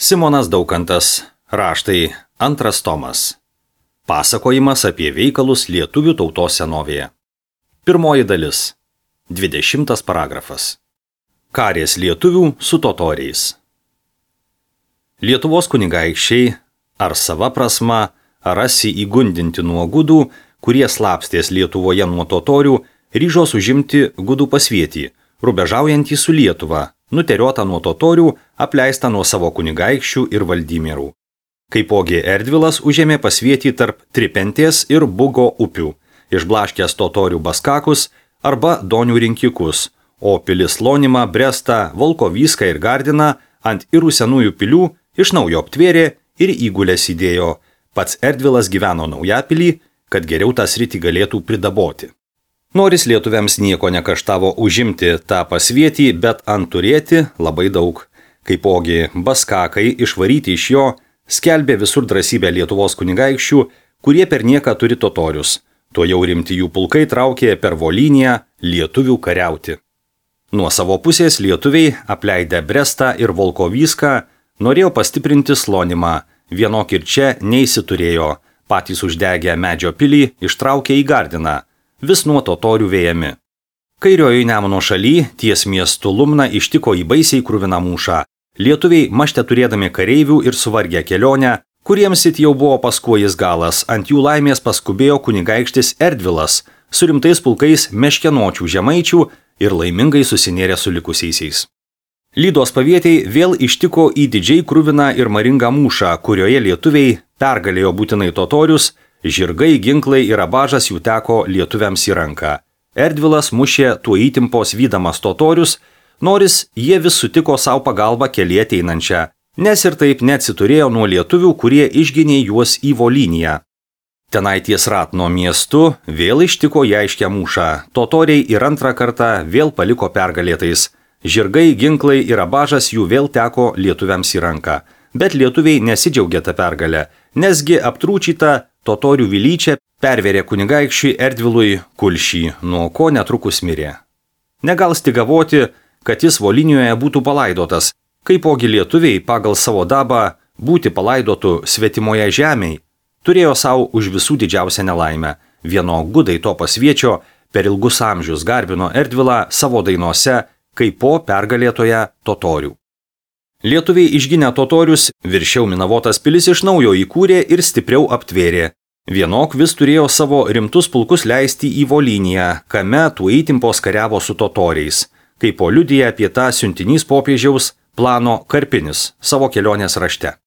Simonas Daukantas, raštai, 2 tomas. Pasakojimas apie veikalus lietuvių tautos senovėje. 1 dalis. 20 paragrafas. Karės lietuvių su totoriais. Lietuvos kunigaikščiai, ar sava prasma, rasi įgundinti nuo gudų, kurie slapstės Lietuvoje nuo totorių, ryžos užimti gudų pasvietį, rubežaujantį su Lietuva, nuteriotą nuo totorių, apleistą nuo savo kunigaikščių ir valdymerų. Kaipogi Erdvilas užėmė pasvietį tarp Tripentės ir Bugo upių, išblaškęs totorių baskakus arba donių rinkikus, o pilis Lonimą, Brestą, Volkovyską ir Gardiną ant irų senųjų pilių iš naujo aptvėrė ir įgulės įdėjo. Pats Erdvilas gyveno Naujapilį, kad geriau tą sritį galėtų pridaboti. Noris lietuviams nieko nekaštavo užimti tą pasvietį, bet ant turėti labai daug. Kaipogi baskakai išvaryti iš jo skelbė visur drąsybę Lietuvos kunigaikščių, kurie per nieką turi totorius. To jau rimti jų pulkai traukė per Volyniją lietuvių kariauti. Nuo savo pusės lietuviai, apleidę Brestą ir Volkovyską, norėjo pastiprinti Lonimą, vienok ir čia neįsiturėjo, patys uždegę medžio pilį ištraukė į Gardiną, vis nuo totorių vėjami. Kairiojo Nemuno šaly, ties miestu Lumna, ištiko į baisiai kruviną mūšą. Lietuviai mašte turėdami kareivių ir suvargę kelionę, kuriems it jau buvo paskuojis galas, ant jų laimės paskubėjo kunigaikštis Erdvilas, su rimtais pulkais meškenočių žemaičių ir laimingai susinėrė su likusiaisiais. Lydos pavietiai vėl ištiko į didžiai kruviną ir maringą mūšą, kurioje lietuviai pergalėjo būtinai totorius, žirgai, ginklai ir abažas jų teko lietuviams į ranką. Erdvilas mušė tuo įtimpos vydamas totorius, noris jie vis sutiko savo pagalbą kelyje ateinančią, nes ir taip neatsiturėjo nuo lietuvių, kurie išginė juos į Volyniją. Tenai ties Ratno miestu vėl ištiko į aiškę mūšą, totoriai ir antrą kartą vėl paliko pergalėtais. Žirgai, ginklai ir abažas jų vėl teko lietuviams į ranką, bet lietuviai nesidžiaugė tą pergalę, nesgi aptrūčyta totorių vilyčia perverė kunigaikščiui Erdvilui kulšį, nuo ko netrukus mirė. Negal stigavoti, kad jis Volynijoje būtų palaidotas, kaipogi lietuviai pagal savo dabą būti palaidotų svetimoje žemėje, turėjo savo už visų didžiausią nelaimę. Vieno gudai to pasviečio per ilgus amžius garbino Erdvilą savo dainose kaip po pergalėtoje totorių. Lietuviai išginę totorius viršiau Minavotas pilis iš naujo įkūrė ir stipriau aptvėrė. Vienok vis turėjo savo rimtus pulkus leisti į Volyniją, kame tuo įtimpos kariavo su totoriais, kaip po liudija apie tą siuntinys popiežiaus plano Karpinis savo kelionės rašte.